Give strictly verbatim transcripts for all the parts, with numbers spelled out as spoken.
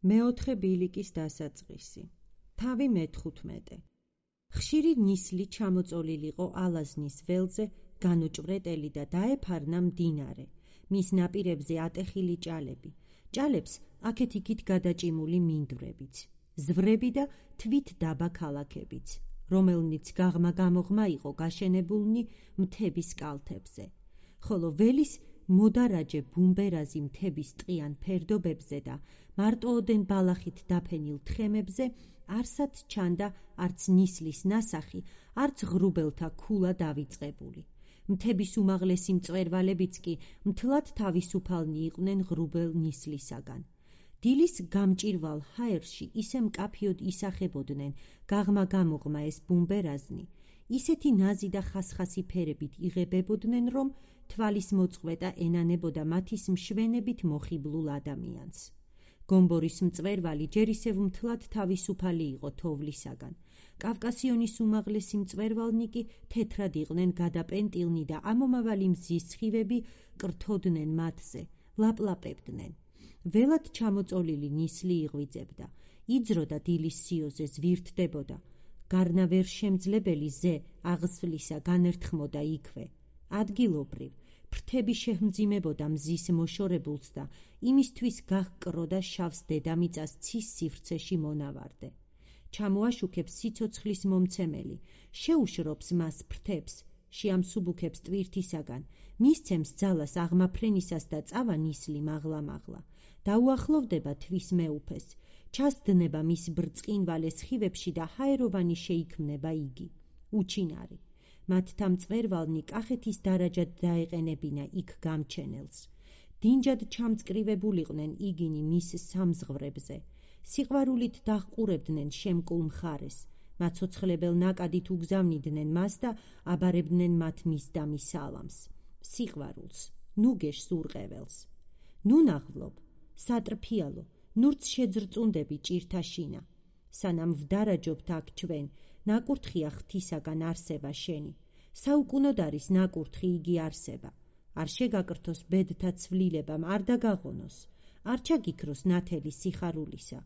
მეოთხე ბილიკის დასაწყისი. თავი მეთხუთმეტე. ხშირი ნისლი ჩამოწოლილიყო ალაზნის ველზე, განუჭვრეტელი და დაეფარნა მდინარე. მის ნაპირებზე ატეხილი ჭალები. ჭალებს აქეთ-იქით გადაჭიმული მინდვრებიც. ზვრები და თვით დაბა ქალაქებიც, რომელნიც გაღმა-გამოღმა იყო გაშენებულნი მთების კალთებზე. ხოლო ველის მოდარაჯე ბუმბერაზი მთების ტყიან ფერდობებზე და მარტოოდენ ბალახით დაფენილ თხემებზე არსად ჩანდა არც ნისლის ნასახი, არც ღრუბელთა ქულა დავიწყებული. მთების უმაღლესი მწვერვალებიც კი მთლად თავისუფალნი იყვნენ ღრუბელ ნისლისაგან. დილის გამჭირვალ ჰაერში ისე მკაფიოდ ისახებოდნენ გაღმა-გამოღმა ეს ბუმბერაზნი, ისეთი ნაზი და ხასხასი ფერებით იღებებოდნენ, რომ თვალის მოწყვეტა ენანებოდა მათის მშვენებით მოხიბლულ ადამიანს. გომბორის მწვერვალი ჯერ ისევ მთლად თავისუფალი იყო თოვლისაგან. კავკასიონის უმაღლესი მწვერვალნი კი თეთრად იყვნენ გადაპენტილნი და ამომავალი მზის სხივები კრთოდნენ მათზე, ლაპლაპებდნენ. ველად ჩამოწოლილი ნისლი იღვიძებდა, იძროდა დილის სიოზე, ზვირთდებოდა. გარნავერშემძლებელი ზე აღსვლისა განერთხმოდა იქვე. ადგილობრივ ფრთები შეჰმძიმებოდა მზის მოშორებულს და იმისთვის გահკროდა შავს დედამიწას ცის სივრცეში მონავარდე. ჩამოაშუქებს სიცოცხლის მომცემელი, შეუშრობს მას ფრთებს, შეამსუბუქებს ტვირთისაგან, მისცემს ძალას აღმაფრენისას და წავა ნისლი მაღლა-მაღლა. დაუახლოვდება თვის მეუფეს, ჩასდნება მის ბრწყინვალე სხივებში და ჰაეროვანი შეიქმნება იგი. უჩინარი. მათთა მწვერვალნი კახეთის დარაჯად დაეყენებინა იქ გამჩენელს. დინჯად ჩამწკრივებულიყვნენ იგინი მის სამზღვრებზე. სიყვარულით დაჰყურებდნენ შემკულ მხარეს. მაცოცხლებელ ნაკადით უგზავნიდნენ მას და აბარებდნენ მათ მისდამი სალამს. სიყვარულს, ნუ გეშს ურყეველს. ნუ ნაღვლობ, სატრფიალო, ნურც შეძრწუნდები ჭირთა შინა. სანამ ვდარაჯობთ აქ ჩვენ, ნაკურთხია ღვთისაგან არსება შენი. საუკუნოდ არის ნაკურთხი იგი არსება. არ შეგაკრთოს ბედთა ცვლილებამ, არ დაგაღონოს, არ ჩაგიქროს ნათელი სიხარულისა.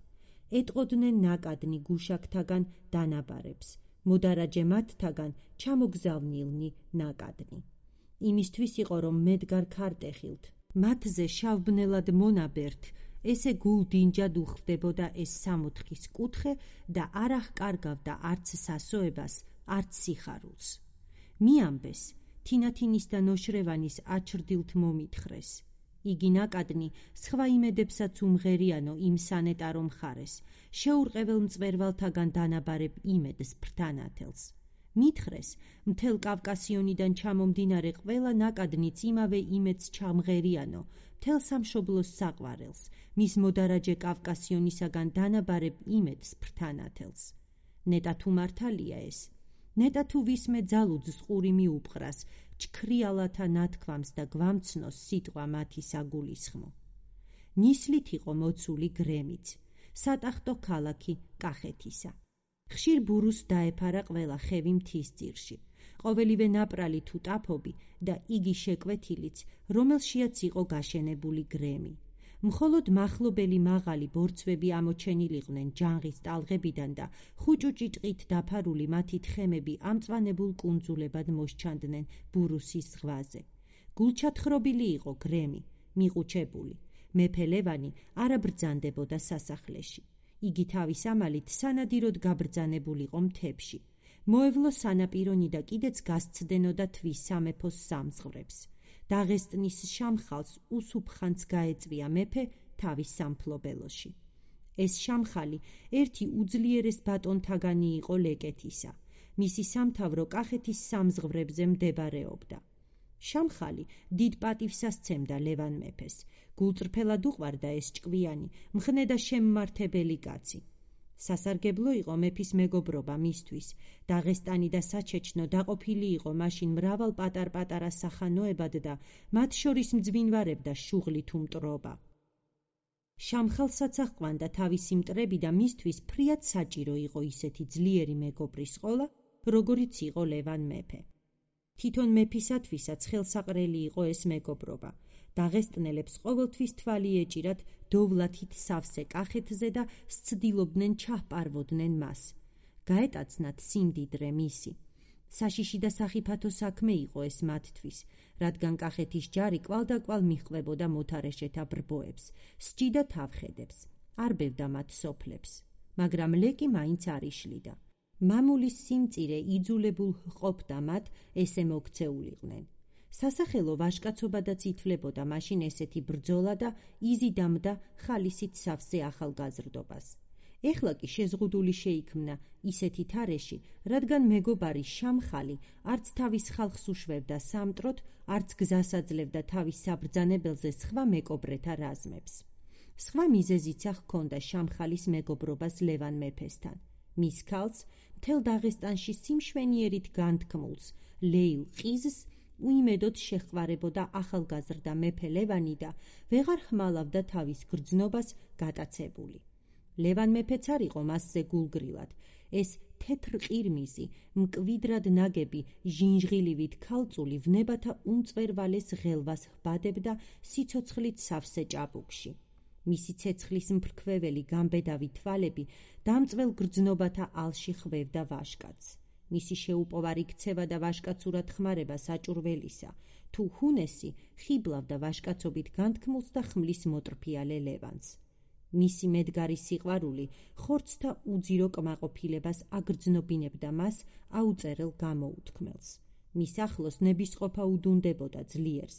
ეტყოდნენ ნაკადნი გუშაქთაგან დანაბარებს, მოდარაჯე მათთაგან ჩამოგზავნილნი ნაკადნი. იმისთვის იყო, რომ მედგარ ქარტეხილთ, მათზე შავბნელად მონაბერთ, ესე გულდინჯად უხდებოდა ეს სამოთხის კუთხე და არ აღკარგავდა არც სასოებას, არც სიხარულს. მიამბეს, თინათინის და ნოშრევანის აჩრდილთ მომითხრეს. იგი ნაკადნი სხვა იმედებსაც უმღერიანო იმ სანეტარო მხარეს, შეურყეվել მწვერვალთაგან დანაბარებ იმედს ფრთანათელს. მითხრეს, მთელ კავკასიონიდან ჩამომდინარე ყველა ნაკადნიც იმავე იმედს ჩამღერიანო, მთელ სამშობლოს საყვარელს, მის მოდარაჯე კავკასიონისაგან დანაბარებ იმედს ფრთანათელს. ნეტა თუ მართალია ეს, ნეტა თუ ვისმე ძალუძს ყური მიუპყრას, ჩქრიალათა ნათქვამს და გვამცნოს სიტყვა მათი საგულისხმო. ნისლით იყო მოცული გრემიც, სატახტო ქალაქი კახეთისა. ხშირ ბურუს დაეფარა ყველა ხევი მთის ძირში, ყოველივე ნაპრალი თუ ტაფობი და იგი შეკვეთილიც, რომელშიაც იყო გაშენებული გრემი. მხოლოდ მახლობელი მაღალი ბორცვები ამოჩენილიყვნენ ჯანღის ტალღებიდან და ხუჭუჭი ტყით დაფარული მათი თხემები ამწვანებულ კუნძულებად მოსჩანდნენ ბურუსის ზღვაზე. გულჩათხრობილი იყო გრემი, მიყუჩებული. მეფე ლევანი არ აბრძანდებოდა სასახლეში. იგი თავის ამალით სანადიროდ გაბრძანებულიყო მთებში. მოევლო სანაპირონი და კიდეც გასცდენოდა თვის სამეფოს სამზღვრებს. დაღესტნის შამხალს უსუფხანს გაეწვია მეფე თავის სამფლობელოში. ეს შამხალი ერთი უძლიერეს ბატონთაგანი იყო ლეკეთისა. მისი სამთავრო კახეთის სამზღვრებზე მდებარეობდა. შამხალი დიდ პატივსას სცემდა ლევან მეფეს. გულწრფელად უყვარდა ეს ჭკვიანი, მხნე და შემმართებელი კაცი. სასარგებლო იყო მეფის მეგობრობა მისთვის. დაღესტანი და საჩეჩნო დაყოფილი იყო მაშინ მრავალ პატარ-პატარა სახანოებად და მათ შორის მძვინვარებდა შუღლი თუ მტრობა. შამხალსაც აჰყვანდა თავისი მტრები და მისთვის ფრიად საჭირო იყო ისეთი ძლიერი მეგობრის ყოლა, როგორიც იყო ლევან მეფე. თვითონ მეფისათვისაც ხელსაყრელი იყო ეს მეგობრობა. დაღესტნელებს ყოველთვის თვალი ეჭირათ დოვლათით სავსე კახეთზე და სცდილობდნენ ჩაჰპარვოდნენ მას. გაეტაცნათ სიმდიდრე მისი. საშიში და სახიფათო საქმე იყო ეს მათთვის, რადგან კახეთის ჯარი კვალდაკვალ მიჰყვებოდა მოთარეშეთა ბრბოებს, სჯიდა თავხედებს, არბევდა მათ სოფლებს, მაგრამ ლეკი მაინც არ იშლიდა. მამულის სიმწირე იძულებულ ჰყოფდა მათ ესე მოქცეულიყვნენ. სასახელო ვაჟკაცობადაც ითვლებოდა მაშინ ესეთი ბრძოლა და იზიდამდა ხალისით სავსე ახალგაზრდობას. ეხლა კი შეზღუდული შეიქმნა ისეთი თარეში, რადგან მეგობარი შამხალი არც თავის ხალხს უშვებდა სამტროთ, არც გზას აძლევდა თავის საბრძანებელზე სხვა მეკობრეთა რაზმებს. სხვა მიზეზიც ჰქონდა შამხალის მეგობრობას ლევან მეფესთან. მის ქალს, მთელ დაღესტანში სიმშვენიერით განთქმულს, ლეილ ყიზს უიმედოდ შეჰყვარებოდა ახალგაზრდა მეფე ლევანი და ვეღარ ხმალავდა თავის გრძნობას გატაცებული. ლევან მეფეც არ იყო მასზე გულგრილად. ეს თეთრ ყირმიზი, მკვიდრად ნაგები, ჟინჟღილივით ქალწული ვნებათა უმწვერვალეს ღელვას ჰბადებდა სიცოცხლით სავსე ჭაბუკში. მისი ცეცხლის მფრქვეველი გამბედავი თვალები დამწველ გრძნობათა ალში ხვევდა ვაჟკაცს. მისი შეუპოვარი ქცევა და ვაჟკაცურად ხმარება საჭურველისა, თუ ჰუნესი ხიბლავდა ვაჟკაცობით განთქმულს და ხმლის მოტრფიალე ლევანს. მისი მედგარი სიყვარული ხორცთა უძირო კმაყოფილებას აგრძნობინებდა მას აუწერელ გამოუთქმელს. მის ახლოს ნებისყოფა უდუნდებოდა ძლიერს.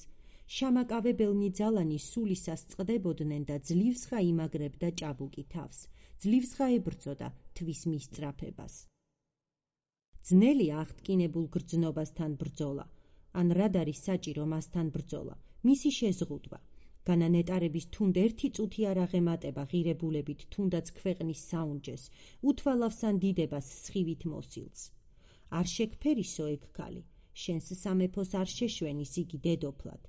შამაკავებელნი ძალანი სულისას წყდებოდნენ და ძლივსხა იმაგრებდა ჭაბუკი თავს, ძლივსხა ებრძოდა თვის მისწრაფებას. ძნელი აღტკინებულ გრძნობასთან ბრძოლა, ან რად არის საჭირო მასთან ბრძოლა, მისი შეზღუდვა. განანეტარების თუნდ ერთი წუთი არ აღემატება ღირებულებით თუნდაც ქვეყნის საუნჯეს, უთვალავსან დიდებას სხივით მოსილს. არ შეგფერისო ეგ ქალი, შენს სამეფოს არ შეშვენის იგი დედოფლად.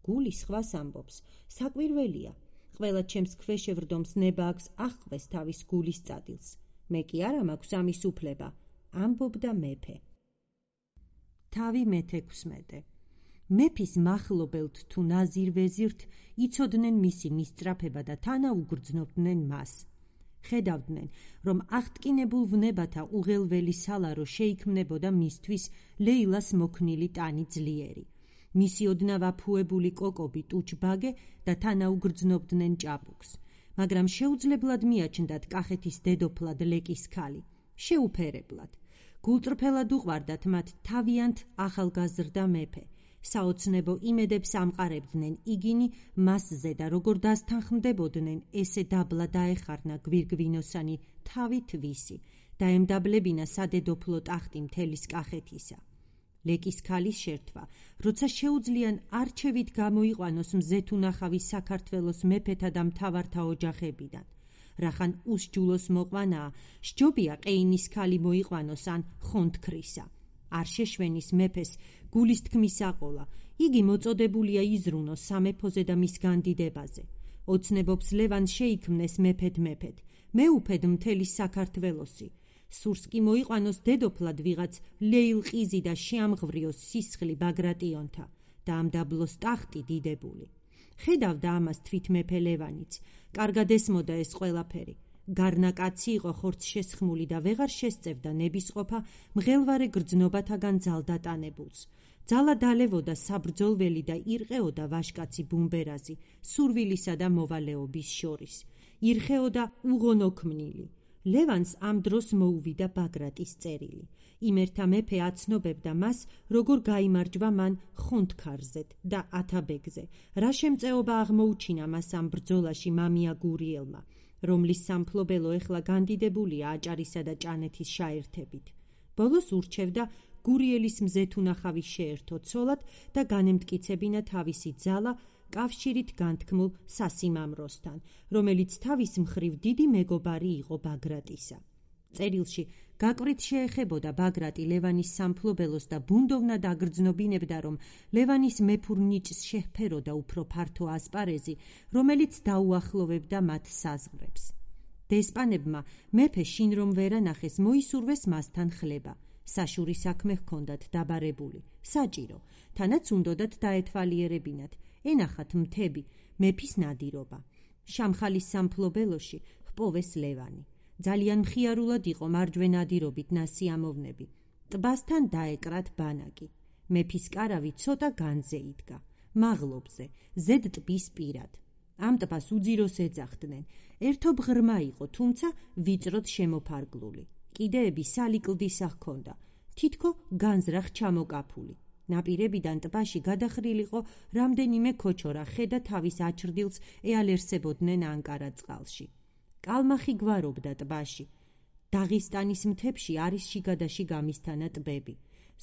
გული სხვას ამბობს, საკვირველია, ყველა ჩემს ქვეშევრდომს ნება აქვს აღყვეს თავის გულის წადილს. მე კი არა მაქვს ამის უფლება, ამბობდა მეფე. თავი მეთექვსმეტე. მეფის მახლობელთ თუ ნაზირ ვეზირთ იცოდნენ მისი მისწრაფება და თანაუგრძნობდნენ მას. ხედავდნენ, რომ აღტკინებულ ვნებათა უღელველი სალარო შეიქმნებოდა მისთვის ლეილას მოქნილი ტანი ძლიერი. მისი ოდნავ აფუებული კოკობი ტუჩბაგე და თანაუგრძნობდნენ ჭაბუკს, მაგრამ შეუძლებლად მიაჩნდათ კახეთის დედოფლად ლეკის ქალი, შეუფერებლად. გულწრფელად უყვარდათ მათ თავიანთ ახალგაზრდა მეფე. საოცნებო იმედებს ამყარებდნენ იგინი მასზე და როგორ დასთანხმდებოდნენ ესე დაბლა დაეხარნა გვირგვინოსანი თავი თვისი და ემდაბლებინა სადედოფლო ტახტი მთელის კახეთისა. ლეკის ქალის შერთვა, როცა შეუძლიან არჩევით გამოიყვანოს მზეთუნახავი საქართველოს მეფეთა და მთავართა ოჯახებიდან. რახან უსჯულოს მოყვანაა, სჯობია ყეინის ქალი მოიყვანოს ან ხონთქრისა. არ შეშვენის მეფეს გულის თქმის აყოლა, იგი მოწოდებულია იზრუნოს სამეფოზე და მის განდიდებაზე. ოცნებობს ლევან შეიქმნეს მეფედ მეფედ, მეუფედ მთელი საქართველოსი. სურს კი მოიყვანოს დედოფლად ვიღაც ლეილ ყიზი და შეამღვრიოს სისხლი ბაგრატიონთა და ამდაბლოს ტახტი დიდებული. ხედავდა ამას თვით მეფე ლევანიც, კარგად ესმოდა ეს ყველაფერი. გარნაკაცი იყო ხორცშესხმული და ვეღარ შესწევდა ნებისყოფა მღელვარე გრძნობათაგან ძალდატანებულს. ძალა დალევოდა საბრძოლველი და ირყეოდა ვაჟკაცი ბუმბერაზი, სურვილისა და მოვალეობის შორის. ირხეოდა უღონოქმნილი. ლევანს ამ დროს მოუვიდა ბაგრატის წერილი. იმერთა მეფე აცნობებდა მას, როგორ გაიმარჯვა მან ხონთქარზეთ და ათაბეგზე, რა შემწეობა აღმოუჩინა მას ამ ბრძოლაში მამია გურიელმა, რომლის სამფლობელო ეხლა განდიდებულია აჭარისა და ჭანეთის შაერთებით. ბოლოს ურჩევდა გურიელის მზეთუნახავი შეერთო ცოლად და განემტკიცებინა თავისი ძალა კავშირით განთქმულ სასიმამროსთან, რომელიც თავის მხრივ დიდი მეგობარი იყო ბაგრატისა. წერილში გაკვრით შეეხებოდა ბაგრატი ლევანის სამფლობელოს და ბუნდოვნად აგრძნობინებდა, რომ ლევანის მეფურ ნიჭს შეჰფეროდა უფრო ფართო ასპარეზი, რომელიც დაუახლოვებდა მათ საზღვრებს. დესპანებმა მეფე შინ რომ ვერანახეს მოისურვეს მასთან ხლება. საშური საქმე ჰქონდათ დაბარებული, საჭირო, თანაც უნდოდათ დაეთვალიერებინათ. ენახათ მთები, მეფის ნადირობა. შამხალის სამფლობელოში ჰპოვეს ლევანი. ძალიან მხიარულად იყო მარჯვენა ნადირობით ნასიამოვნები. ტბასთან დაეკრათ ბანაკი. მეფის კარავი ცოტა განზე იდგა, მაღლობზე, ზედ ტბის პირად. ამ ტბას უძიროს ეძახდნენ. ერთობ ღრმა იყო, თუმცა ვიწროდ შემოფარგლული. კიდეები სალიკლდისა ჰქონდა, თითქო განზრახ ჩამოკაფული. ნაპირებიდან ტბაში გადახრილიყო რამდენიმე ქოჩორა ხე და თავის აჩრდილს ეალერსებოდნენ ანკარა წყალში. კალმახი გვარობდა ტბაში. დაღისტანის მთებში არის შიგადაში გამისთანა ტბები.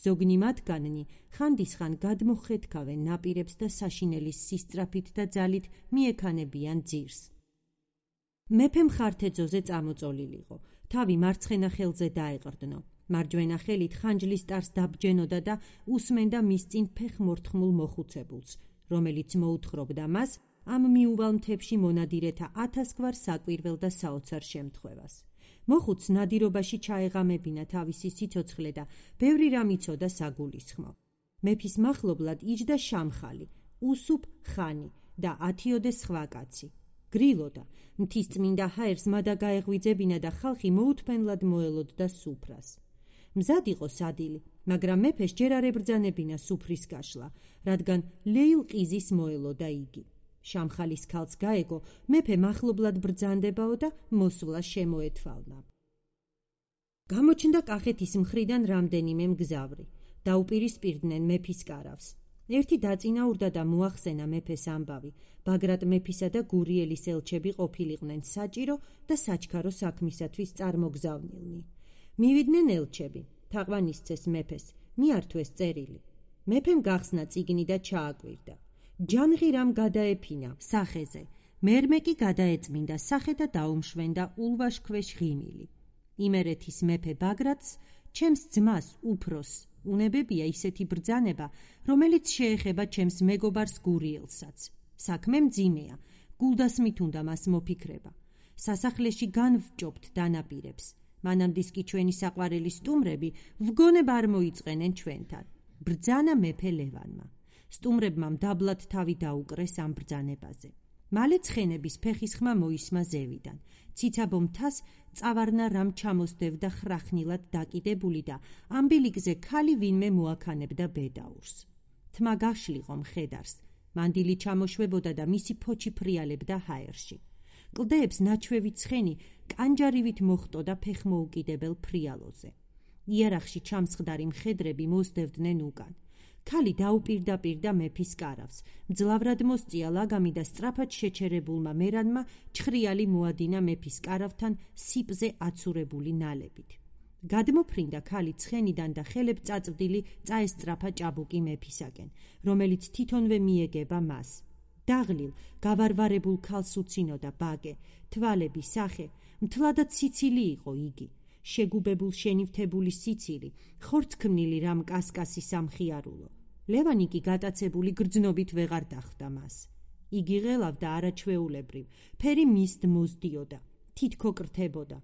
ზოგნი მათგანი ხანდისხან გადმოხეთქავენ ნაპირებს და საშინელის სისწრაფით და ძალით მიექანებიან ძირს. მეფე მხართეძოზე წამოწოლილიყო, თავი მარცხენა ხელზე დაეყრდნო. მარჯვენა ხელით ხანჯლის ტარს დაბჯენოდა და უსმენდა მის წინ ფეხმორთმულ მოხუცებულს, რომელიც მოუთხრობდა მას ამ მიუვალ მთებში მონადირეთა ათასგვარ საკვირველ და საოცარ შემთხვევას. მოხუცს ნადირობაში ჩაეღამებინა თავისი სიცოცხლე და ბევრი რამ იცოდა საგულისხმო. მეფის მახლობლად იჯდა შამხალი, უსუფ ხანი და ათიოდე სხვა კაცი. გრილოდა, მთისწმინდა ჰაერს მადა გაეღვიძებინა და ხალხი მოუთმენლად მოელოდდა სუფრას. მზად იყო სადილი, მაგრამ მეფეს ჯერ არ ებრძანებინა სუფრის გაშლა, რადგან ლეილ ყიზის მოელოდა იგი. შამხალის ქალს გაეგო, მეფე მახლობლად ბრძანდებაო და მოსვლა შემოეთვალნა. გამოჩნდა კახეთის მხრიდან რამდენიმე მგზავრი. დაუპირისპირდნენ მეფის კარავს. ერთი დაწინაურდა და მოახსენა მეფეს ამბავი. ბაგრატ მეფისა და გურიელის ელჩები ყოფილიყვნენ საჭირო და საჩქარო საქმისათვის წარმოგზავნილნი. მივიდნენ ელჩები, თაყვანისცეს მეფეს, მიართვეს წერილი. მეფემ გახსნა წიგნი და ჩააკვირდა. ჯანღი რამ გადაეფინა სახეზე, მერმე კი გადაეწმინდა სახე და დაუმშვენდა ულვაშქვეშ ღიმილი. იმერეთის მეფე ბაგრატს, ჩემს ძმას უფროს, უნებებია ისეთი ბრძანება, რომელიც შეეხება ჩემს მეგობარს გურიელსაც. საქმე მძიმეა, გულდასმით უნდა მას მოფიქრება. სასახლეში განვჭობთ დანაპირებს. მანამდის კი ჩვენი საყვარელი სტუმრები ვგონება არ მოიწყენენ ჩვენთან. ბრძანა მეფე ლევანმა. სტუმრებმა მდაბლად თავი დაუკრეს ამ ბრძანებაზე. მალე ცხენების ფეხის ხმა მოისმა ზევიდან. ციცაბო მთას წავარნა რამ ჩამოსდევდა ხრახნილად დაკიდებული და ამბილიკზე ქალი ვინმე მოაქანებდა ბედაურს. თმა გაშლიყო მხედარს. მანდილი ჩამოშვებოდა და მისი ფოჩი ფრიალებდა ჰაერში. კლდეებს ნაჩვევი ცხენი კანჯარივით მოხტოდა ფეხმოუკიდებელ ფრიალოზე. იარაღში ჩამსხდარი მხედრები მოსდევდნენ უკან. ქალი დაუპირდაპირდა მეფის კარავს. მძლავრად მოსწია ლაგამი და სწრაფად შეჩერებულმა მერანმა ჩხრიალი მოადინა მეფის კარავთან სიპზე აცურებული ნალებით. გადმოფრინდა ქალი ცხენიდან და ხელებ წაწვდილი წაესწრაფა ჭაბუკი მეფისაკენ, რომელიც თვითონვე მიეგება მას. დაღლილ, გავარვარებულ ქალს უცინოდა ბაგე, თვალები, სახე, მთლადად სიცილი იყო იგი. შეგუბებულ შენივთებული სიცილი, ხორცქმნილი რამ კასკასი სამხიარულო. ლევანი კი გატაცებული გრძნობით ვეღარ დახვდა მას. იგი ღელავდა არაჩვეულებრივ, ფერი მისთ მოსდიოდა, თითქო კრთებოდა.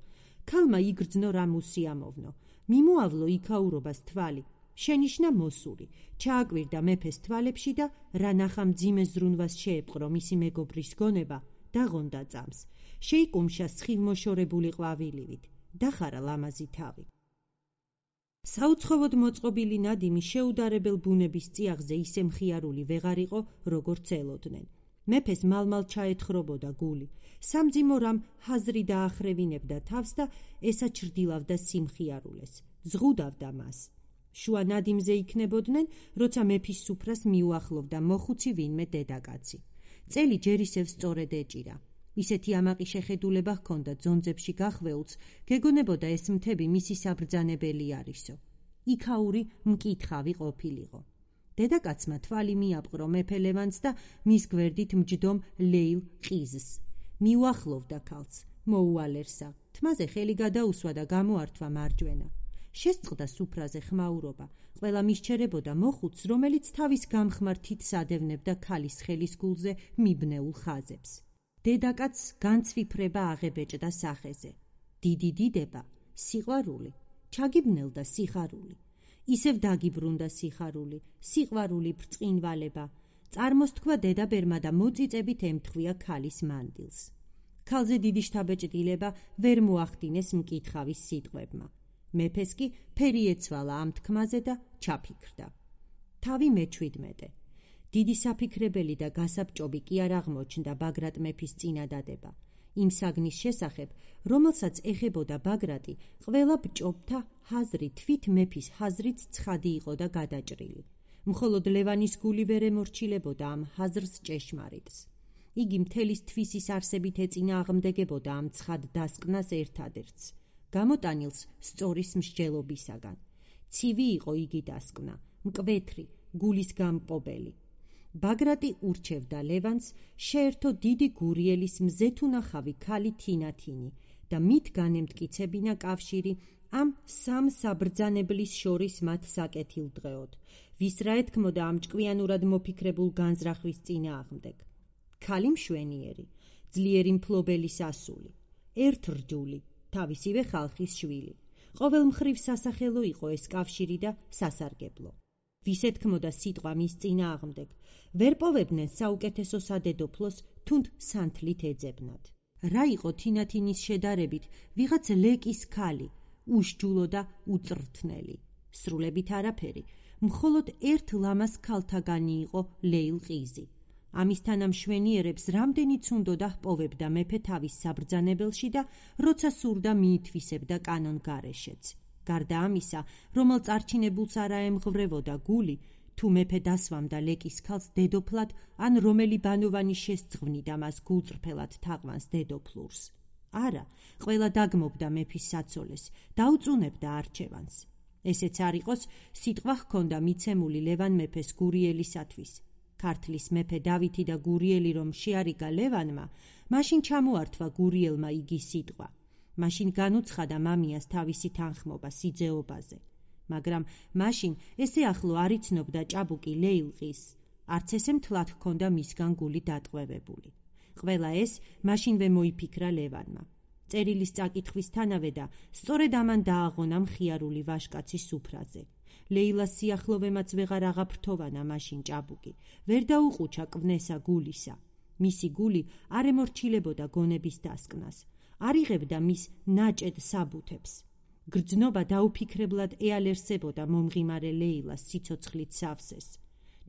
ქალმა იგრძნო რამ უსიამოვნო, მიმოავლო იქაურობას თვალი, შენიშნა მოსული, ჩააკვირდა მეფეს თვალებში და რა ნახა მძიმე ზრუნვას შეეპყრო მისი მეგობრის გონება, დაღონდა წამს, შეიკუმშა სხივმოშორებული ყვავილივით, დახარა ლამაზი თავი. საუცხოოდ მოწყობილი ნადიმი შეუდარებელ ბუნების წიაღზე ისე მხიარული ვეღარ იყო, როგორც ელოდნენ. მეფეს მალმალ ჩაეთხრობოდა გული, სამძიმო რამ ჰაზრი დაახრევინებდა თავს და ესაჩრდილავდა სიმხიარულეს, ზღუდავდა მას. შუა ნადიმზე იქნებოდნენ, როცა მეფის სუფრას მიუახლოვდა მოხუცი ვინმე დედაკაცი. წელი ჯერ ისევ სწორედ ეჭირა. ისეთი ამაყი შეხედულება ჰქონდა ძონძებში გახვეულს, გეგონებოდა ეს მთები მისი საბრძანებელი არისო. იქაური მკითხავი ყოფილიყო. დედაკაცმა თვალი მიაპყრო მეფე ლევანს და მის გვერდით მჯდომ ლეილ ყიზს. მიუახლოვდა ქალს, მოუალერსა, თმაზე ხელი გადაუსვა და გამოართვა მარჯვენა. შესწყდა სუფრაზე ხმაურობა, ყველა მისჩერებოდა მოხუცს, რომელიც თავის გამხმარ თითს ადევნებდა ქალის ხელის გულზე მიბნეულ ხაზებს. დედაკაცს განცვიფრება აღებეჭდა სახეზე. დიდი დიდება, სიყვარული, ჩაგიბნელდა სიხარული. ისევ დაგიბრუნდა სიხარული, სიყვარული ბრწყინვალება, წარმოსთქვა დედაბერმა და მოწიწებით ემთხვია ქალის მანდილს. ქალზე დიდი შთაბეჭდილება ვერ მოახდინეს მკითხავის სიტყვებმა. მეფეს კი ფერი ეცვალა ამ თქმაზე და ჩაფიქრდა. თავი მეჩვიდმეტე. დიდი საფიქრებელი და გასაბჭობი კი არ აღმოჩნდა ბაგრატ მეფის წინადადება. იმ საგნის შესახებ, რომელსაც ეხებოდა ბაგრატი, ყველა ბჭობთა ჰაზრი თვით მეფის ჰაზრით ცხადი იყო და გადაჭრილი. მხოლოდ ლევანის გული ვერ ემორჩილებოდა ამ ჰაზრს ჭეშმარიტს. იგი მთელი თვისის არსებით ეწინააღმდეგებოდა ამ ცხად დასკვნას ერთადერთს, გამოტანილს სწორის მსჯელობისაგან. ცივი იყო იგი დასკვნა, მკვეთრი, გულის გამპობელი. ბაგრატი ურჩევდა ლევანს შეერთო დიდი გურიელის მზეთუნახავი ქალი თინათინი და მით განემტკიცებინა კავშირი ამ სამ საბრძანებლის შორის მათ საკეთილდღეოდ, ვის რა ეთქმოდა ამ ჭკვიანურად მოფიქრებულ განზრახვის წინააღმდეგ. ქალი მშვენიერი, ძლიერი მფლობელის ასული, ერთრჯული, თავისივე ხალხის შვილი. ყოველ მხრივ სასახელო იყო ეს კავშირი და სასარგებლო. ვის ეთქმოდა სიტყვა მის წინააღმდეგ, ვერ პოვებდნენ საუკეთესო სადედოფლოს, თუნდ სანთლით ეძებნათ. რა იყო თინათინის შედარებით ვიღაც ლეკის ქალი, უშჯულო და უწრთნელი. სრულებით არაფერი, მხოლოდ ერთ ლამას ქალთაგანი იყო ლეილყიზი. ამისთან ამ მშვენიერებს რამდენიც უნდოდა ჰპოვებდა მეფე თავის საბრძანებელში და როცა სურდა მიითვისებდა კანონგარეშეც. გარდა ამისა, რომელ წარჩინებულს არ აემღვრევოდა გული, თუ მეფე დასვამდა ლეკის ქალს დედოფლად, ან რომელი ბანოვანი შესძღვნიდა მას გულწრფელად თაყვანს დედოფლურს. არა, ყველა დაგმობდა მეფის საცოლეს, დაუწუნებდა არჩევანს. ესეც არ იყოს, სიტყვა ჰქონდა მიცემული ლევან მეფეს გურიელისათვის. ქართლის მეფე დავითი და გურიელი რომ შეარიგა ლევანმა, მაშინ ჩამოართვა გურიელმა იგი სიტყვა. მაშინ განუცხადა მამიას თავისი თანხმობა სიძეობაზე. მაგრამ მაშინ ესე ახლო არ იცნობდა ჭაბუკი ლეილყის, არც ესე მთლად ჰქონდა მისგან გული დატყვევებული. ყველა ეს მაშინვე მოიფიქრა ლევანმა. წერილის წაკითხვისთანავე და სწორედ ამან დააღონა მხიარული ვაშკაცი სუფრაზე. ლეილას სიახლოვემაც ვეღარ აღაფრთოვანა მაშინ ჭაბუკი, ვერ დაუყუჩა კვნესა გულისა. მისი გული არ ემორჩილებოდა გონების დასკვნას, არ იღებდა მის ნაჭედ საბუთებს. გრძნობა დაუფიქრებლად ეალერსებოდა მომღიმარე ლეილას სიცოცხლით სავსეს.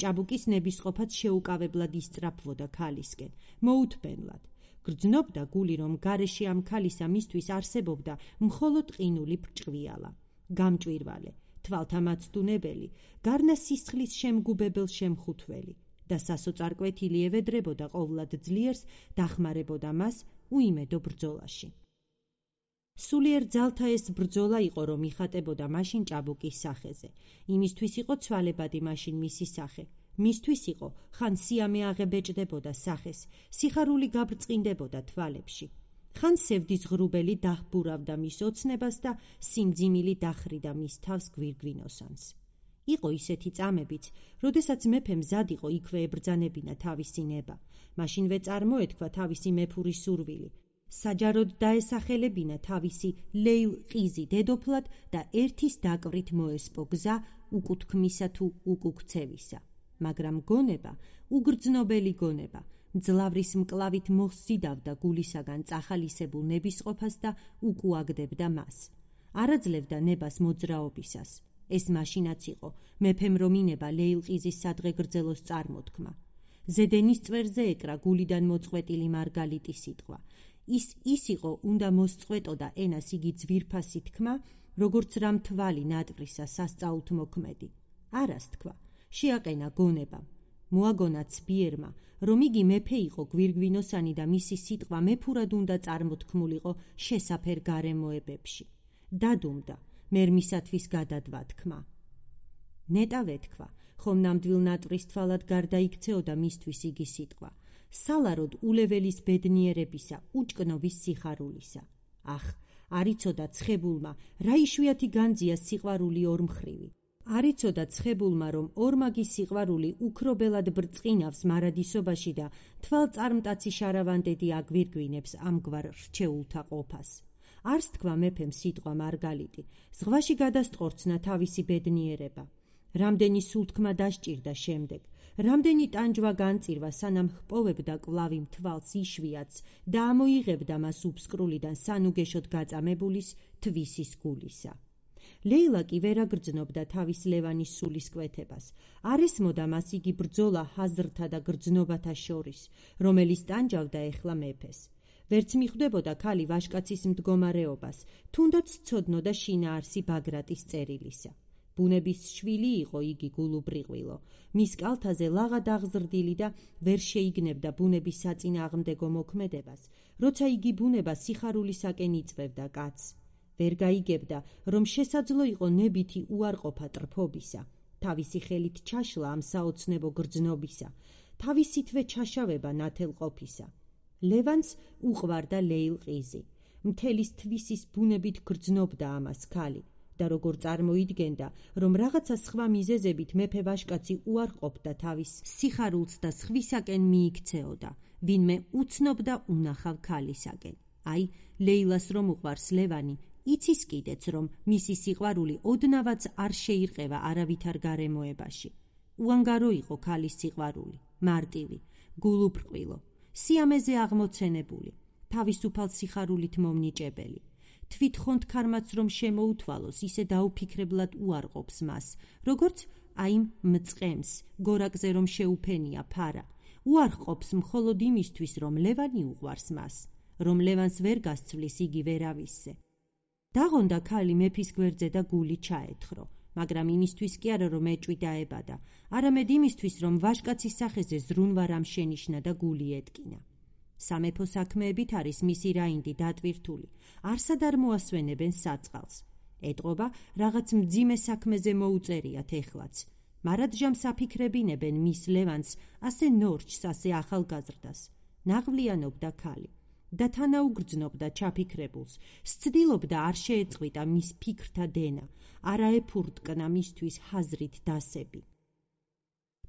ჭაბუკის ნებისყოფად შეუკავებლად ისწრაფვოდა ქალისკენ, მოუთბენლად. გრძნობდა გული, რომ გარეშე ამ ქალისა მისთვის არსებობდა მხოლოდ ყინული ბრჭყვიალა, გამჭვირვალე, თვალთა მაცდუნებელი, გარნა სისხლის შემგუბებელ შემხუთველი და სასოწარკვეთილი ევედრებოდა ყოვლად ძლიერს, დახმარებოდა მას უიმედო ბრძოლაში. სულიერ ძალთა ეს ბრძოლა იყო, რომ იხატებოდა მაშინ ჭაბუკის სახეზე. იმისთვის იყო ცვალებადი მაშინ მისი სახე. მისთვის იყო, ხან სიამე აღებეჭდებოდა სახეს, სიხარული გაბრწყინდებოდა თვალებში. ხან სევდის ღრუბელი დაჰბურავდა მის ოცნებას და სიმძიმილი დახრიდა მის თავს გვირგვინოსანს. იყო ისეთი წამებიც, როდესაც მეფე მზად იყო იქვე ებრძანებინა თავისი ნება, მაშინვე წარმოეთქვა თავისი მეფური სურვილი. საჯაროდ დაესახელებინა თავისი ლეილყიზი დედოფლად და ერთის დაკვრით მოესპო გზა უკუთქმისა თუ უკუქცევისა. მაგრამ გონება, უგრძნობელი გონება, მძლავრის მკლავით მოხსიდავდა გულისაგან წახალისებულ ნებისყოფას და უკუაგდებდა მას. არაძლევდა ნებას მოძრაობისას. ეს მაშინაც იყო, მეფემ რომ ინება ლეილყიზის სადღე გრძელოს წარმოთქმა. ზედენის წვერზე ეკრა გულიდან მოწყვეტილი მარგალიტი სიტყვა. ის ის იყო, უნდა მოსწყვეტოდა ენას იგი ძვირფასი თქმა, როგორც რამ თვალი ნატვრისა სასწაულთ მოქმედი. არას თქვა, შეაყენა გონებამ. მოაგონა ცბიერმა, რომ იგი მეფე იყო გვირგვინოსანი და მისი სიტყვა მეფურად უნდა წარმოთქმულიყო შესაფერ გარემოებებში. დადუმდა, მერმისათვის გადადვა თქმა. ნეტა ვეთქვა, ხომ ნამდვილ ნატვრის თვალად გარდაიქცეოდა მისთვის იგი სიტყვა. სალაროდ ულეველის ბედნიერებისა, უჭკნობის სიხარულისა. ახ, არიცოდა ცხებულმა, რა იშვიათი განძია სიყვარული ორმხრივი. არიცოდა ცხებულმა, რომ ორმაგი სიყვარული უქრობელად ბრწყინავს მარადისობაში და თვალწარმტაცი შარავანდედი აგვირგვინებს ამგვარ რჩეულთა ყოფას. არს თქვა მეფემ სიტყვა მარგალიტი, ზღვაში გადასტყორცნა თავისი ბედნიერება. რამდენი სულთქმა დასჭირდა შემდეგ, რამდენი ტანჯვა განწირვა, სანამ ჰპოვებდა კვლავ იმ თვალს იშვიათს და ამოიღებდა მას უბსკრულიდან სანუგეშოდ გაწამებულის თვისის გულისა. ლეილა კი ვერ აგრძნობდა თავის ლევანის სულის კვეთებას. არ ესმოდა მას იგი ბრძოლა ჰაზრთა და გრძნობათა შორის, რომელიც ტანჯავდა ეხლა მეფეს. ვერც მიხვდებოდა ქალი ვაჟკაცის მდგომარეობას, თუნდაც ცოდნოდა შინაარსი ბაგრატის წერილისა. ბუნების შვილი იყო იგი გულუბრიყვილო, მის კალთაზე ლაღად აღზრდილი და ვერ შეიგნებდა ბუნების საწინააღმდეგო მოქმედებას, როცა იგი ბუნება სიხარულისაკენ იწვევდა კაცს. ვერ გაიგებდა, რომ შესაძლო იყო ნებითი უარყოფა ტრფობისა, თავისი ხელით ჩაშლა ამ საოცნებო გრძნობისა, თავისითვე ჩაშავება ნათელყოფისა. ლევანს უყვარდა ლეილყიზი, მთელის თვისის ბუნებით გრძნობდა ამას ქალი და როგორ წარმოიდგენდა, რომ რაღაცა სხვა მიზეზებით მეფე ვაჟკაცი უარყოფდა თავის სიხარულს და სხვისაკენ მიიქცეოდა, ვინმე უცნობდა უნახავ ქალისაკენ. აი, ლეილას რომ უყვარს ლევანი, იცის კიდეც, რომ მისი სიყვარული ოდნავაც არ შეირყევა არავითარ გარემოებაში. უანგარო იყო ქალის სიყვარული, მარტივი, გულუბრყვილო, სიამეზე აღმოცენებული, თავისუფალ სიხარულით მომნიჭებელი. თვითხონთ ქარმაც რომ შემოუთვალოს, ისე დაუფიქრებლად უარყოფს მას, როგორც აი მწყემს, გორაკზე რომ შეუფენია ფარა. უარყოფს მხოლოდ იმისთვის, რომ ლევანი უყვარს მას, რომ ლევანს ვერ გასცვლის იგი ვერავისზე. დაღონდა ქალი მეფის გვერდზე და გული ჩაეთხრო, მაგრამ იმისთვის კი არა, რომ ეჭვი დაებადა, არამედ იმისთვის, რომ ვაჟკაცის სახეზე ზრუნვა რამ შენიშნა და გული ეტკინა. სამეფო საქმეებით არის მისი რაინდი დატვირთული, არსად არ მოასვენებენ საწყალს. ეტყობა, რაღაც მძიმე საქმეზე მოუწერიათ ეხლაც. მარადჟამს აფიქრებინებენ მის ლევანს, ასე ნორჩს, ასე ახალგაზრდას. ნაღვლიანობდა ქალი და თანაუგრძნობდა ჩაფიქრებულს, სცდილობდა არ შეეწყვიტა მის ფიქრთა დენა, არა ეფურტკნა მისთვის ჰაზრით დასები.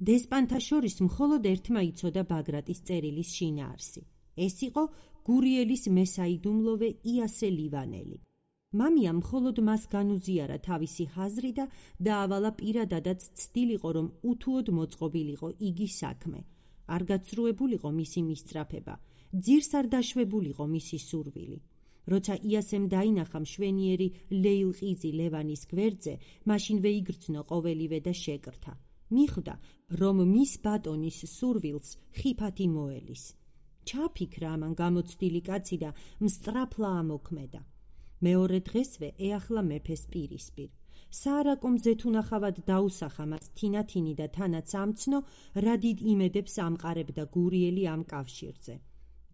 დესპანთა შორის მხოლოდ ერთმა იცოდა ბაგრატის წერილის შინაარსი. ეს იყო გურიელის მესაიდუმლოვე იასე ლივანელი. მამია მხოლოდ მას განუზიარა თავისი ჰაზრი და დაავალა პირადადაც ცდილიყო, რომ უთუოდ მოწყობილიყო იგი საქმე. არ გაცრუებულიყო მისი მისწრაფება, ძირს არ დაშვებულიყო მისი სურვილი. როცა იასემ დაინახა მშვენიერი ლეილყიზი ლევანის გვერდზე, მაშინვე იგრძნო ყოველივე და შეკრთა. მიხვდა, რომ მის ბატონის სურვილს ხიფათი მოელის. ჩაფიქრა ამან გამოცდილი კაცი და მსწრაფლა ამოქმედა. მეორე დღესვე ეახლა მეფეს პირისპირ. საარაკო მზეთუნახავად დაუსახა მას თინათინი და თანაც ამცნო, რა დიდ იმედებს ამყარებდა გურიელი ამ კავშირზე.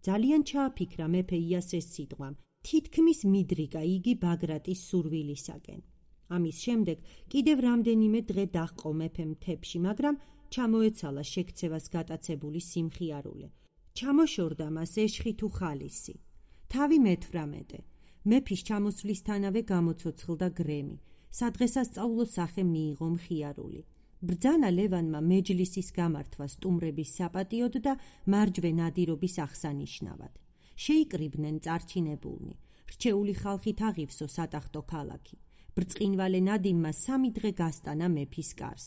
ძალიან ჩააფიქრა მეფე იასეს სიტყვამ, თითქმის მიდრიგა იგი ბაგრატის სურვილისაკენ. ამის შემდეგ კიდევ რამდენიმე დღე დაჰყო მეფემ მთებში, მაგრამ ჩამოეცალა შექცევას გატაცებული სიმხიარულე. ჩამოშორდა მას ეშხი თუ ხალისი. თავი მეთვრამეტე. მეფის ჩამოსვლისთანავე გამოცოცხლდა გრემი. სადღესასწაულო სახე მიიღო მხიარული. ბრძანა ლევანმა მეჯლისის გამართვა სტუმრების საპატიოდ და მარჯვე ნადირობის აღსანიშნავად. შეიკრიბნენ წარჩინებულნი. რჩეული ხალხით აღივსო სატახტო ქალაქი. ბრწყინვალე ნადიმმა სამი დღე გასტანა მეფის კარს.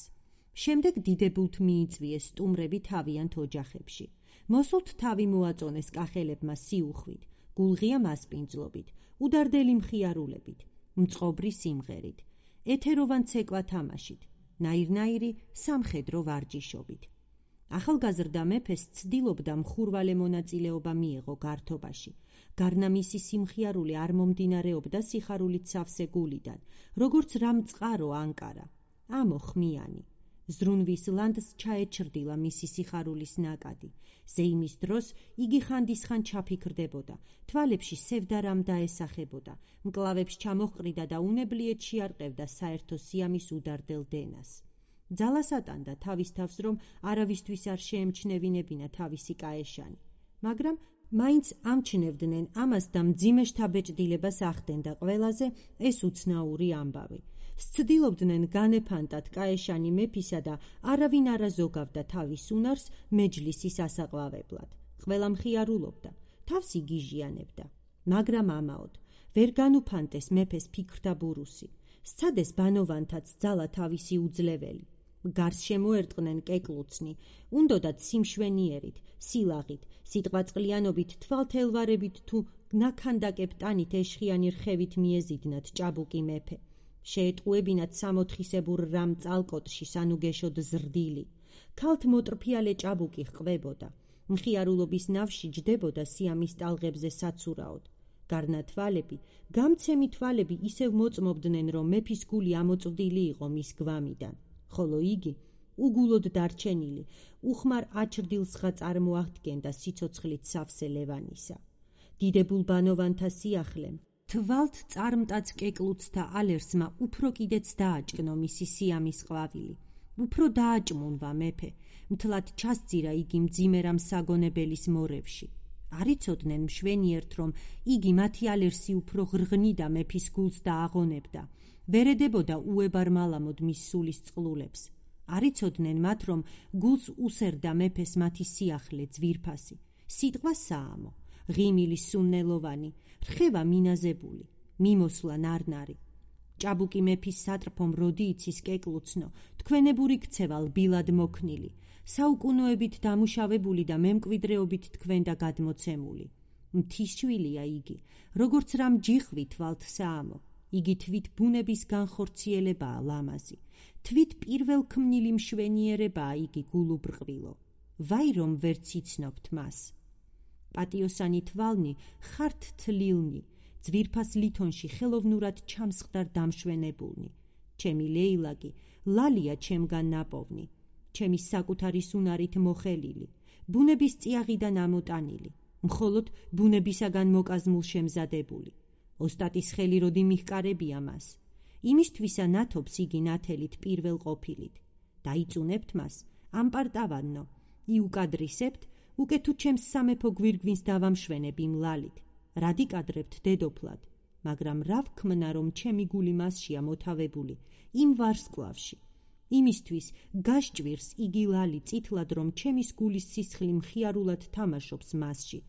შემდეგ დიდებულთ მიიწვიეს სტუმრები თავიანთ ოჯახებში. მოსულთ თავი მოაწონეს კახელებმა სიუხვით, გულღია მასპინძლობით, უდარდელი მხიარულებით, მწყობრი სიმღერით, ეთეროვან ცეკვა თამაშით, ნაირნაირი სამხედრო ვარჯიშობით. ახალგაზრდა მეფეს ცდილობდა მხურვალე მონაწილეობა მიეღო გართობაში. გარნა მისი სიმხიარული არ მომდინარეობდა სიხარულით სავსე გულიდან, როგორც რამ წყარო ანკარა, ამო ხმიანი. ზრუნვის ლანდს ჩაეჩრდილა მისი სიხარულის ნაკადი. ზეიმის დროს იგი ხანდისხან ჩაფიქრდებოდა, თვალებში სევდა რამ დაესახებოდა, მკლავებს ჩამოჰყრიდა და უნებლიეთ შეარყევდა საერთო სიამის უდარდელ დენას. ძალას ატანდა თავის თავს, რომ არავისთვის არ შეემჩნევინებინა თავისი კაეშანი, მაგრამ მაინც ამჩნევდნენ ამას და მძიმე შთაბეჭდილებას ახდენდა ყველაზე ეს უცნაური ამბავი. სცდილობდნენ განეფანტათ კაეშანი მეფისა და არავინ არ აზოგავდა თავის უნარს მეჯლისის ასაყვავებლად. ყველა მხიარულობდა, თავს იგიჟიანებდა, მაგრამ ამაოდ ვერ განუფანტეს მეფეს ფიქრთა ბურუსი. სცადეს ბანოვანთაც ძალა თავისი უძლეველი. გარს შემოერტყნენ კეკლუცნი, უნდოდათ სიმშვენიერით, სილაღით, სიტყვაწყლიანობით, თვალთელვარებით თუ ნაქანდაკებ ტანით ეშხიანი რხევით მიეზიდნათ ჭაბუკი მეფე. შეეტყუებინათ სამოთხისებურ რამ წალკოტში სანუგეშოდ ზრდილი. ქალთ მოტრფიალე ჭაბუკი ჰყვებოდა. მხიარულობის ნავში ჯდებოდა სიამის ტალღებზე საცურაოდ. გარნა თვალები, გამცემი თვალები ისევ მოწმობდნენ, რომ მეფის გული ამოწვდილი იყო მის გვამიდან, ხოლო იგი, უგულოდ დარჩენილი, უხმარ აჩრდილსღა წარმოაღდგენდა სიცოცხლით სავსე ლევანისა. დიდებულ ბანოვანთა სიახლემ, თვალთ წარმტაც კეკლუცთა ალერსმა უფრო კიდეც დააჭკნო მისი სიამის ყვავილი. უფრო დააჭმუნვა მეფე, მთლად ჩასძირა იგი მძიმერამ საგონებელის მორევში. არიცოდნენ მშვენიერთ, რომ იგი მათი ალერსი უფრო ღრღნიდა მეფის გულს და აღონებდა, ვერედებოდა უებარ მალამოდ მის სულის წყლულებს. არიცოდნენ მათ, რომ გულს უსერდა მეფეს მათი სიახლე ძვირფასი, სიტყვა საამო, ღიმილი სუნნელოვანი, რხევა მინაზებული, მიმოსვლა ნარნარი. ჭაბუკი მეფის სატრფომ როდი იცის კეკლუცნო, თქვენებური ქცევა ლბილად მოქნილი, საუკუნოებით დამუშავებული და მემკვიდრეობით თქვენ და გადმოცემული. მთისშვილია იგი, როგორც რამ ჯიხვი თვალთ საამო, იგი თვით ბუნების განხორციელებაა ლამაზი, თვით პირველ ქმნილი მშვენიერებაა იგი გულუბრყვილო. ვაი რომ ვერც იცნობთ მას. პატიოსანი თვალნი ხართ თლილნი, ძვირფას ლითონში ხელოვნურად ჩამსხდარ დამშვენებულნი. ჩემი ლეილაკი, ლალია ჩემგან ნაპოვნი. ჩემი საკუთარის უნარით მოხელილი, ბუნების წიაღიდან ამოტანილი, მხოლოდ ბუნებისაგან მოკაზმულ შემზადებული. ოსტატის ხელი როდი მიჰკარებია მას, იმისთვისა ნათობს იგი ნათელით პირველ ყოფილით. დაიწუნებთ მას, ამპარტავანნო, იუკადრისებთ, უკე თუ ჩემს სამეფო გვირგვინს დავამშვენებ იმ ლალით. რადიკადრებთ დედოფლად, მაგრამ რა ვქმნა, რომ ჩემი გული მასშია მოთავებული, იმ ვარსკვლავში. იმისთვის გაშჭვირს იგი ლალი წითლად, რომ ჩემის გულის სისხლი მხიარულად თამაშობს მასში.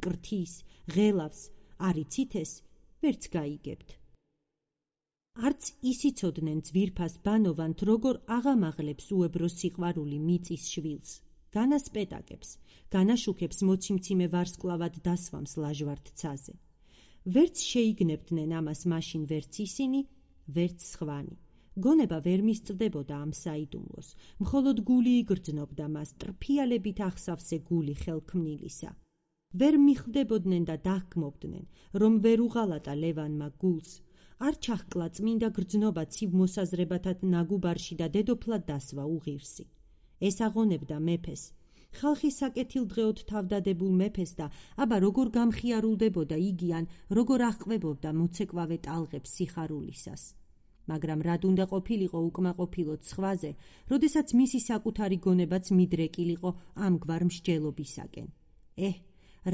კრთის, ღელავს, არიცით ეს, ვერც გაიგებთ. არც ისიცოდნენ ძვირფას ბანოვანთ, როგორ აღამაღლებს უებრო სიყვარული მიწის შვილს, განასპეტაკებს, განაშუქებს მოციმციმე ვარსკვლავად დასვამს ლაჟვარდ ცაზე. ვერც შეიგნებდნენ ამას მაშინ ვერც ისინი, ვერც სხვანი. გონება ვერ მისწვდებოდა ამ საიდუმლოს, მხოლოდ გული იგრძნობდა მას, ტრფიალებით ახსავსე გული ხელქმნილისა. ვერ მიხვდებოდნენ და დაგმობდნენ, რომ ვერ უღალატა ლევანმა გულს, არ ჩახკლა წმინდა გრძნობა ცივ მოსაზრებათა ნაგუბარში და დედოფლად დასვა უღირსი. ეს აღონებდა მეფეს, ხალხის საკეთილდღეოდ თავდადებულ მეფეს და აბა როგორ გამხიარულდებოდა იგი ან როგორ აღყვებობდა მოცეკვავე ტალღებს სიხარულისას. მაგრამ რად უნდა ყოფილიყო უკმაყოფილოდ სხვაზე, როდესაც მისი საკუთარი გონებაც მიდრეკილიყო ამგვარ მსჯელობისაკენ. ეჰ,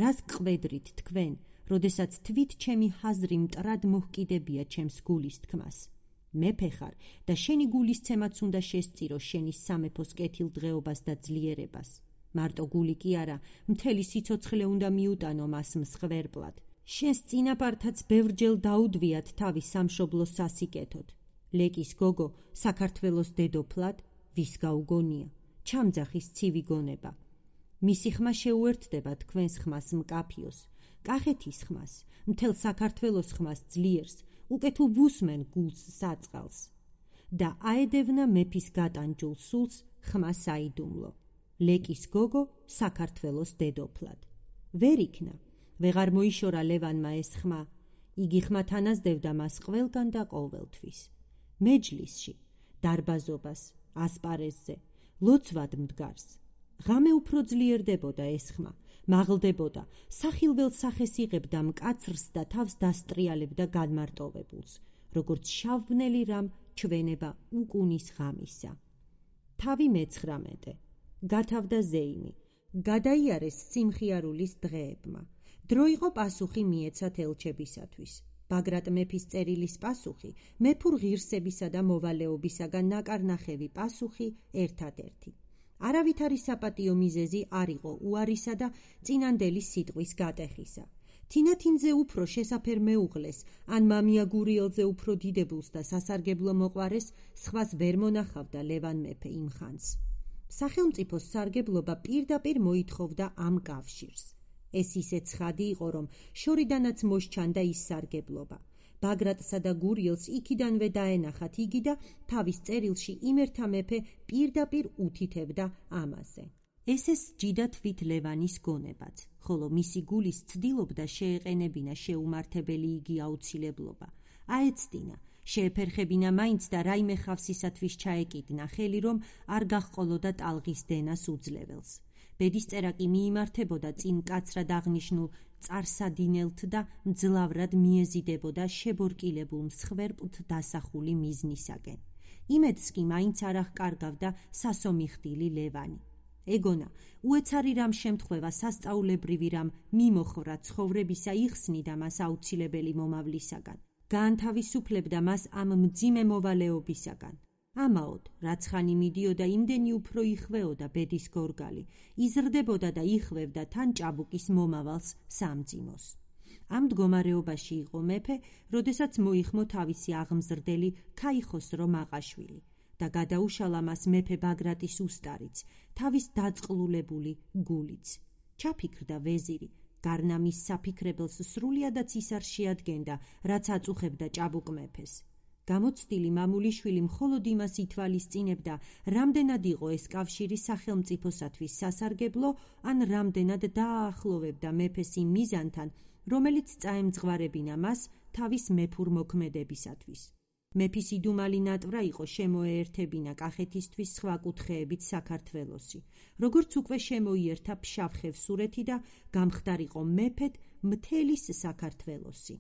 რას გყვედრით თქვენ, როდესაც თვით ჩემი ჰაზრი მტრად მოჰკიდებია ჩემს გულის თქმას. მეფე ხარ და შენი გულისცემაც უნდა შესწირო შენი სამეფოს კეთილდღეობას და ძლიერებას. მარტო გული კი არა, მთელი სიცოცხლე უნდა მიუტანო მას მსხვერპლად. შენს წინაპართაც ბევრჯერ დაუდვიათ თავი სამშობლოს სასიკეთოდ. ლეკის გოგო საქართველოს დედოფლად, ვის გაუგონია, ჩამძახის ცივი გონება. მისი ხმა შეუერთდება თქვენს ხმას მკაფიოს, კახეთის ხმას, მთელ საქართველოს ხმას ძლიერს, უკე თუ ვუსმენ გულს საწყალს. და აედევნა მეფის გატანჯულ სულს ხმა საიდუმლო. ლეკის გოგო საქართველოს დედოფლად. ვერ იქნა, ვეღარ მოიშორა ლევანმა ეს ხმა, იგი ხმათ ანაზდევდა მას ყველგან და ყოველთვის. მეჯლისში, დარბაზობას, ასპარეზზე, ლოცვად მდგარს. ღამე უფრო ძლიერდებოდა ეს ხმა, მაღლდებოდა, სახილველ სახეს იღებდა მკაცრს და თავს დასტრიალებდა განმარტოვებულს, როგორც შავბნელი რამ ჩვენება უკუნის ღამისა. თავი მეცხრამეტე, გათავდა ზეიმი, გადაიარეს სიმხიარულის დღეებმა. დრო იყო პასუხი მიეცათ ელჩებისათვის. ბაგრატ მეფის წერილის პასუხი, მეფურ ღირსებისა და მოვალეობისაგან ნაკარნახევი პასუხი ერთადერთი. არავითარი საპატიო მიზეზი არ იყო უარისა და წინანდელი სიტყვის გატეხისა. თინათინზე უფრო შესაფერ მეუღლეს, ან მამია გურიელზე უფრო დიდებულს და სასარგებლო მოყვარეს, სხვას ვერ მონახავდა ლევან მეფე იმ ხანს. სახელმწიფოს სარგებლობა პირდაპირ მოითხოვდა ამ კავშირს. ეს ისე ცხადი იყო, რომ შორიდანაც მოსჩანდა ის სარგებლობა. ბაგრატსა და გურიელს იქიდანვე დაენახათ იგი და თავის წერილში იმერთა მეფე პირდაპირ უთითებდა ამაზე. ეს-ეს სჯიდა თვით ლევანის გონებაც, ხოლო მისი გულის ცდილობდა შეეყენებინა შეუმართებელი იგი აუცილებლობა. აეცდინა, შეეფერხებინა მაინც და რაიმე ხავსისათვის ჩაეკიდნა ხელი, რომ არ გაჰყოლოდა ტალღის დენას უძლეველს. ბედისწერა კი მიიმართებოდა წინ კაცრად აღნიშნულ წარსადინელთ და მძლავრად მიეზიდებოდა შებორკილებულ მსხვერპლთ დასახული მიზნისაკენ. იმედს კი მაინც არ აღკარგავდა სასომიხდილი ლევანი. ეგონა, უეცარი რამ შემთხვევა სასწაულებრივი რამ მიმოხრა ცხოვრებისა იხსნიდა მას აუცილებელი მომავლისაგან. გაანთავისუფლებდა მას ამ მძიმე მოვალეობისაგან. ამაოდ, რაც ხანი მიდიოდა, იმდენი უფრო იხვეოდა ბედის გორგალი, იზრდებოდა და იხვევდა თან ჭაბუკის მომავალს სამძიმოს. ამ მდგომარეობაში იყო მეფე, როდესაც მოიხმო თავისი აღმზრდელი ქაიხოსრო მაყაშვილი და გადაუშალა მას მეფე ბაგრატის უსტარიც, თავის დაწყლულებული გულიც. ჩაფიქრდა ვეზირი, გარნამის საფიქრებელს სრულიადაც ის არ შეადგენდა, რაც აწუხებდა ჭაბუკ მეფეს. გამოცდილი მამულიშვილი მხოლოდ იმას ითვალისწინებდა, რამდენად იყო ეს კავშირი სახელმწიფოსათვის სასარგებლო, ან რამდენად დააახლოვებდა მეფეს იმ მიზანთან, რომელიც წაემძღვარებინა მას თავის მეფურ მოქმედებისათვის. მეფის იდუმალი ნატვრა იყო შემოეერთებინა კახეთისთვის სხვა კუთხეებით საქართველოსი, როგორც უკვე შემოიერთა ფშავ-ხევსურეთი და გამხდარიყო მეფედ მთელი საქართველოსი.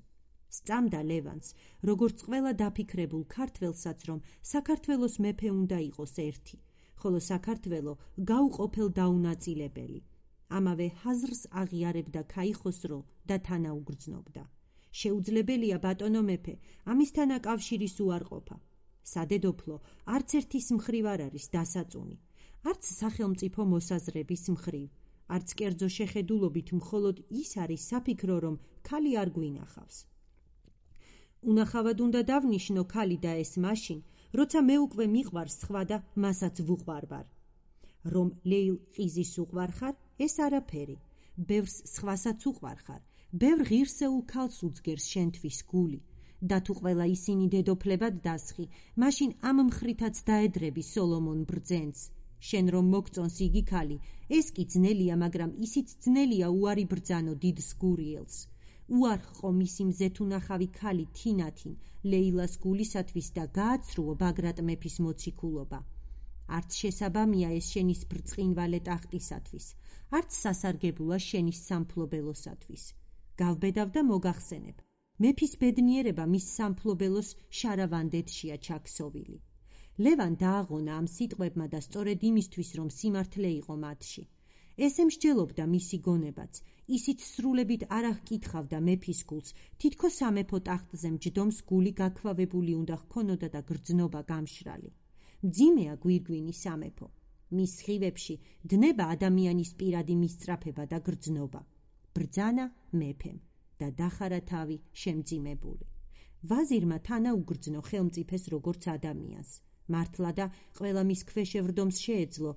სწამდა ლევანს, როგორც ყველა დაფიქრებულ ქართველსაც, რომ საქართველოს მეფე უნდა იყოს ერთი, ხოლო საქართველო გაუყოფელ დაუნაწილებელი. ამავე ჰაზრს აღიარებდა ქაიხოსრო და თანაუგრძნობდა. შეუძლებელია ბატონო მეფე, ამისთანა კავშირის უარყოფა. სადედოფლო არც ერთის მხრივ არ არის დასაწუნი, არც სახელმწიფო მოსაზრების მხრივ, არც კერძო შეხედულობით მხოლოდ ის არის საფიქრო, რომ ქალი არ გვინახავს. უნახავად უნდა დავნიშნო ქალი და ეს მაშინ, როცა მე უკვე მიყვარს სხვა და მასაც ვუყვარვარ. რომ ლეილ ყიზის უყვარხარ, ეს არაფერი, ბევრს სხვასაც უყვარხარ, ბევრ ღირსეულ ქალს უძგერს შენთვის გული, და თუ ყველა ისინი დედოფლებად დასხი, მაშინ ამ მხრითაც დაედრები სოლომონ ბრძენს. შენ რომ მოგწონს იგი ქალი, ეს კი ძნელია, მაგრამ ისიც ძნელია უარი ბრძანო დიდს გურიელს. უარყო მისი მზეთუნახავი ქალი თინათინ ლეილას გულისათვის და გააცრუო ბაგრატ მეფის მოციქულობა. არც შესაბამია ეს შენის ბრწყინვალე ტახტისათვის, არც სასარგებოა შენის სამფლობელოსათვის. გავბედავ და მოგახსენებ, მეფის ბედნიერება მის სამფლობელოს შარავანდეთშია ჩაქსოვილი. ლევან დააღონა ამ სიტყვებმა და სწორედ იმისთვის, რომ სიმართლე იყო მათში. ესე მსჯელობდა მისი გონებაც, ისიც სრულებით არ აღკითხავდა მეფის გულს, თითქოს სამეფო ტახტზე მჯდომს გული გაქვავებული უნდა ჰქონოდა და გრძნობა გამშრალი. მძიმეა გვირგვინი სამეფო. მის სხივებში დნება ადამიანის პირადი მისწრაფება და გრძნობა. ბრძანა მეფემ და დახარა თავი შემძიმებული. ვაზირმა თანაუგრძნო ხელმწიფეს როგორც ადამიანს. მართლა და ყველა მის ქვეშ ევრდომს შეეძლო,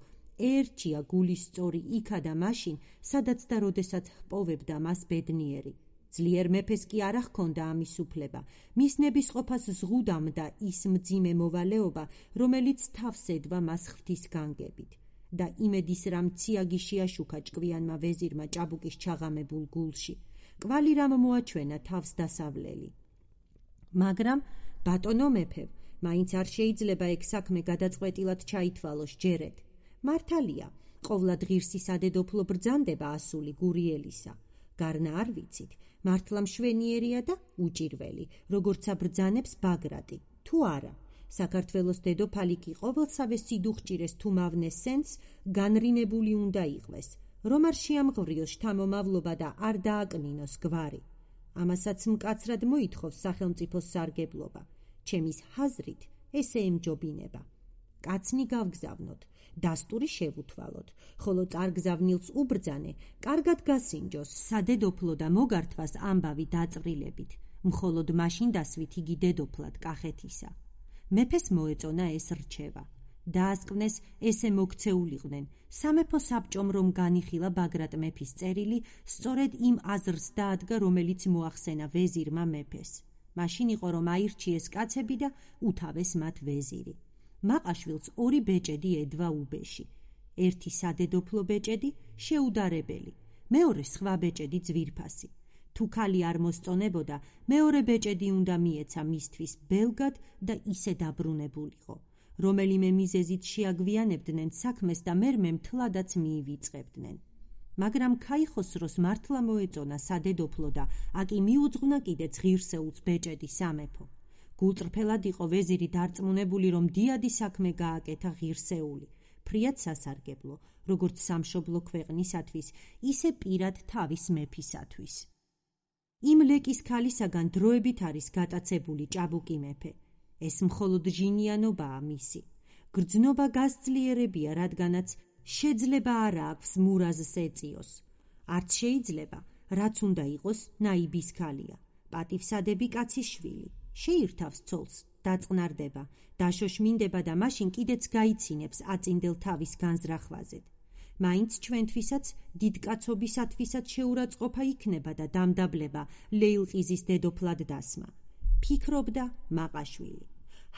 ერთია გულის სწორი იქა და მაშინ, სადაც და როდესაც ჰპოვებდა მას ბედნიერი. ძლიერ მეფეს კი არ ჰქონდა ამის უფლება, მის ნებისყოფას ზღუდამდა ის მძიმე მოვალეობა, რომელიც თავს ედვა მას ღვთის განგებით. და იმედის რამ ციაგი შეაშუქა ჭკვიანმა ვეზირმა ჭაბუკის ჩაღამებულ გულში, კვალი რამ მოაჩვენა თავს დასავლელი. მაგრამ ბატონო მეფე, მაინც არ შეიძლება ეგ საქმე გადაწყვეტილად ჩაითვალოს ჯერეთ. მართალია, ყოვლად ღირსი სადედოფლო ბრძანდება ასული გურიელისა. გარნა არ ვიცით, მართლა მშვენიერია და უჭირველი, როგორცა ბრძანებს ბაგრატი, თუ არა. საქართველოს დედოფალი კი ყოველსავე სიდუხჭირეს თუ მავნეს სენს განრინებული უნდა იყვეს, რომ არ შეამღვრიოს შთამომავლობა და არ დააკნინოს გვარი. ამასაც მკაცრად მოითხოვს სახელმწიფოს სარგებლობა. ჩემის ჰაზრით ესე ემჯობინება. კაცნი გავგზავნოთ, დასტური შევუთვალოთ, ხოლო წარგზავნილს უბრძანე, კარგად გასინჯოს, სადედოფლო და მოგართვას ამბავი დაწვრილებით, მხოლოდ მაშინ დასვით იგი დედოფლად კახეთისა. მეფეს მოეწონა ეს რჩევა. დაასკვნეს ესე მოქცეულიყვნენ, სამეფო საბჭომ რომ განიხილა ბაგრატ მეფის წერილი, სწორედ იმ აზრს დაადგა, რომელიც მოახსენა ვეზირმა მეფეს. მაშინ იყო რომ აირჩიეს კაცები და უთავეს მათ ვეზირი. მაყაშვილს ორი ბეჭედი ედვა უბეში. ერთი სადედოფლო ბეჭედი, შეუდარებელი, მეორე სხვა ბეჭედი ძვირფასი. თუ ქალი არ მოსწონებოდა, მეორე ბეჭედი უნდა მიეცა მისთვის ბელგად და ისე დაბრუნებულიყო. რომელიმე მიზეზით შეაგვიანებდნენ საქმეს და მერმე მთლადაც მიივიწყებდნენ. მაგრამ ქაიხოსროს მართლა მოეწონა სადედოფლო და აკი მიუძღვნა კიდეც ღირსეულს ბეჭედი სამეფო. გულწრფელად იყო ვეზირი დარწმუნებული, რომ დიადი საქმე გააკეთა ღირსეული, ფრიად სასარგებლო, როგორც სამშობლო ქვეყნისათვის, ისე პირად თავის მეფისათვის. იმ ლეკის ქალისაგან დროებით არის გატაცებული ჭაბუკი მეფე. ეს მხოლოდ ჟინიანობაა მისი. გრძნობა გასძლიერებია, რადგანაც შეძლება არა აქვს მურაზს ეწიოს. არც შეიძლება, რაც უნდა იყოს, ნაიბის ქალია. პატივსადები კაცის შვილი. შეირთავს ცოლს, დაწყნარდება, დაშოშმინდება და მაშინ კიდეც გაიცინებს აწინდელ თავის განზრახვაზედ. მაინც ჩვენთვისაც, დიდკაცობისათვისაც შეურაცხყოფა იქნება და დამდაბლება ლეილყიზის დედოფლად დასმა. ფიქრობდა მაყაშვილი.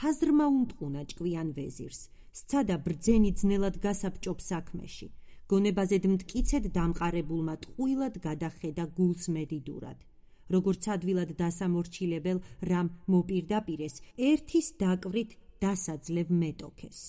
ჰაზრმა უნტყუნა ჭკვიან ვეზირს. სცადა ბრძენი ძნელად გასაბჭობ საქმეში. გონებაზედ მტკიცედ დამყარებულმა ტყუილად გადახედა გულს მედიდურად. როგორც ადვილად დასამორჩილებელ რამ მოპირდაპირეს, ერთის დაკვრით დასაძლევ მეტოქეს.